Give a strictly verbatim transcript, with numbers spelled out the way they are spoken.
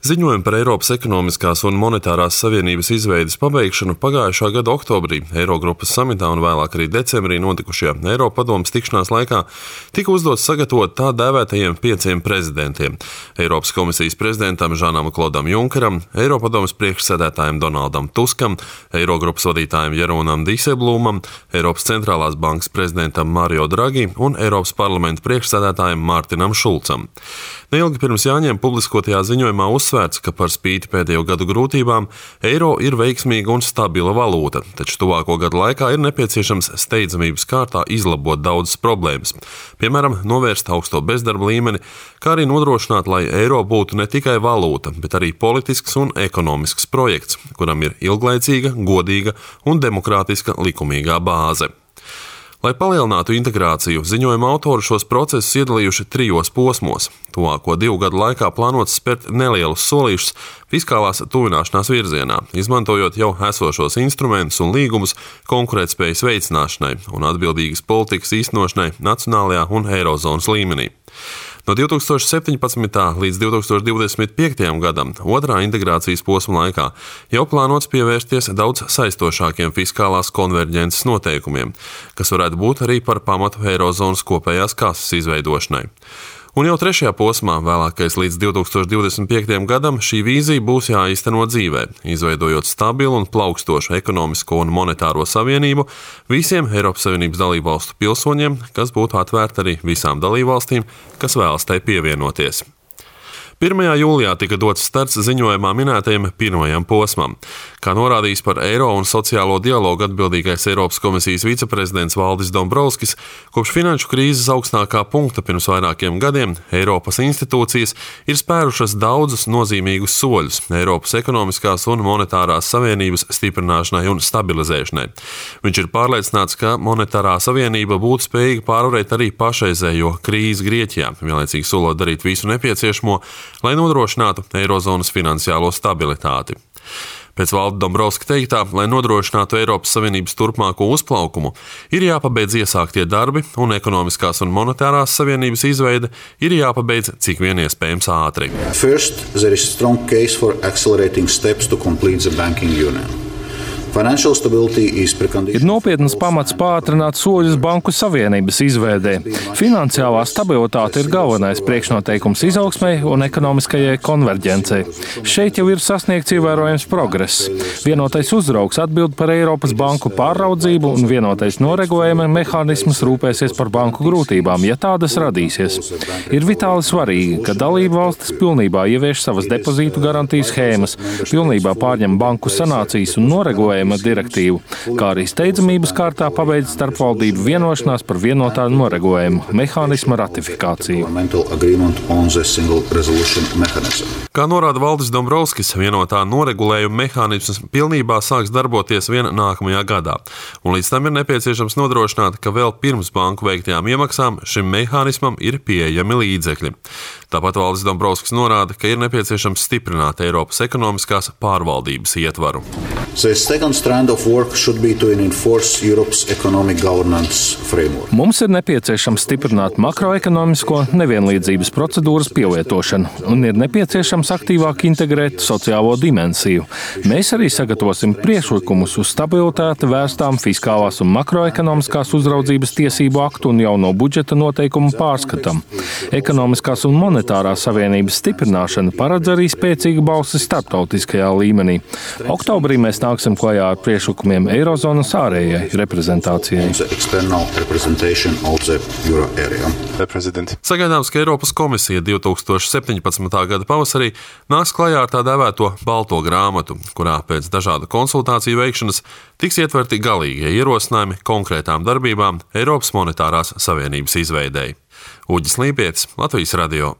Ziņojumi par Eiropas ekonomiskās un monetārās savienības izveides pabeigšanu pagājušā gada oktobrī Eirogrupas samitā un vēlāk arī decembrī notikušajā Eiropadomes tikšanās laikā tika uzdots sagatavot tā dēvētajiem pieciem prezidentiem - Eiropas komisijas prezidentam Žanam Klodam Junkeram, Eiropadomes priekšsēdētājam Donaldam Tuskam, Eirogrupas vadītājam Jeroenam Dijsselbloemam, Eiropas centrālās bankas prezidentam Mario Draghi un Eiropas parlamenta priekšsēdētājam Mārtinam Šulcam. Neilgi pirms jāņem publiskotajā ziņojumā uzsvērts, ka par spīti pēdējo gadu grūtībām eiro ir veiksmīga un stabila valūta, taču tuvāko gadu laikā ir nepieciešams steidzamības kārtā izlabot daudzas problēmas. Piemēram, novērst augsto bezdarba līmeni, kā arī nodrošināt, lai eiro būtu ne tikai valūta, bet arī politisks un ekonomisks projekts, kuram ir ilglaicīga, godīga un demokrātiska likumīgā bāze. Lai palielinātu integrāciju, ziņojuma autori šos procesus iedalījuši trijos posmos. Tuvāko divu gadu laikā plānots spērt nelielus solīšus fiskālās tuvināšanās virzienā, izmantojot jau esošos instrumentus un līgumus konkurētspējas veicināšanai un atbildīgas politikas īstenošanai nacionālajā un eirozonas līmenī. No divi tūkstoši septiņpadsmitā līdz divi tūkstoši divdesmit piektajam gadam, otrā integrācijas posma laikā, jau plānots pievērsties daudz saistošākiem fiskālās konverģences noteikumiem, kas varētu būt arī par pamatu eirozonas kopējās kases izveidošanai. Un jau trešajā posmā, vēlākais līdz divi tūkstoši divdesmit piektajam gadam, šī vīzija būs jāīsteno dzīvē, izveidojot stabilu un plaukstošu ekonomisko un monetāro savienību visiem Eiropas Savienības dalībvalstu pilsoņiem, kas būtu atvērta arī visām dalībvalstīm, kas vēlas tai pievienoties. pirmajā jūlijā tika dots starts ziņojumā minētajam pirmajam posmam. Kā norādījis par eiro un sociālo dialogu atbildīgais Eiropas komisijas viceprezidents Valdis Dombrovskis, kopš finanšu krīzes augstākā punkta pirms vairākiem gadiem Eiropas institūcijas ir spērušas daudzus nozīmīgus soļus Eiropas ekonomiskās un monetārās savienības stiprināšanai un stabilizēšanai. Viņš ir pārliecināts, ka monetārā savienība būtu spējīga pārvarēt arī pašreizējo krīzi Grieķijā, vienlaicīgi solot darīt visu nepieciešamo, lai nodrošinātu eirozonas finansiālo stabilitāti. Pēc Valda Dombrovska teiktā, lai nodrošinātu Eiropas Savienības turpmāko uzplaukumu, ir jāpabeidz iesāktie darbi, un ekonomiskās un monetārās savienības izveide ir jāpabeidz cik vien iespējams ātri. First, there is strong case for accelerating steps to complete the banking union. Ir nopietnas pamats pātrināt soļus banku savienības izveidē. Finansiālā stabilitāte ir galvenais priekšnoteikums izaugsmei un ekonomiskajai konverģencei. Šeit jau ir sasniegts ievērojams progress. Vienotais uzraugs atbild par Eiropas banku pāraudzību un vienotais noregulējuma mehānisms rūpēsies par banku grūtībām, ja tādas radīsies. Ir vitāli svarīgi, ka dalību valstis pilnībā ievieš savas depozītu garantiju schēmas, pilnībā pārņem banku sanācijas un noregulējuma direktīvu, kā arī steidzamības kārtā pabeidz starpvaldību vienošanās par vienotā noregulējuma mehānisma ratifikāciju. Kā norāda Valdis Dombrovskis, vienotā noregulējuma mehānisms pilnībā sāks darboties vien nākamajā gadā, un līdz tam ir nepieciešams nodrošināt, ka vēl pirms banku veiktajām iemaksām šim mehānismam ir pieejami līdzekļi. Tāpat Valdis Dombrovskis norāda, ka ir nepieciešams stiprināt Eiropas ekonomiskās pārvaldības ietvaru. Mums ir nepieciešams stiprināt makroekonomisko nevienlīdzības procedūras pielietošanu un ir nepieciešams aktīvāk integrēt sociālo dimensiju. Mēs arī sagatavosim priekšlikumus uz stabilitāti vērstām fiskālās un makroekonomiskās uzraudzības tiesību aktu un jauno budžeta noteikumu pārskatam. Ekonomiskās un monetārās savienības stiprināšana paredz arī spēcīgu balsi starptautiskajā līmenī. Oktobrī mēs nāksim klajā ar priekšlikumiem Eirozonas ārējai reprezentācijai. Sagaidāms, ka Eiropas komisija divi tūkstoši septiņpadsmitā gada pavasarī nāks klajā ar tā dēvēto balto grāmatu, kurā pēc dažādu konsultāciju veikšanas tiks ietverti galīgie ierosinājumi konkrētām darbībām Eiropas monetārās savienības izveidei. Uģis Līpietis, Latvijas radio.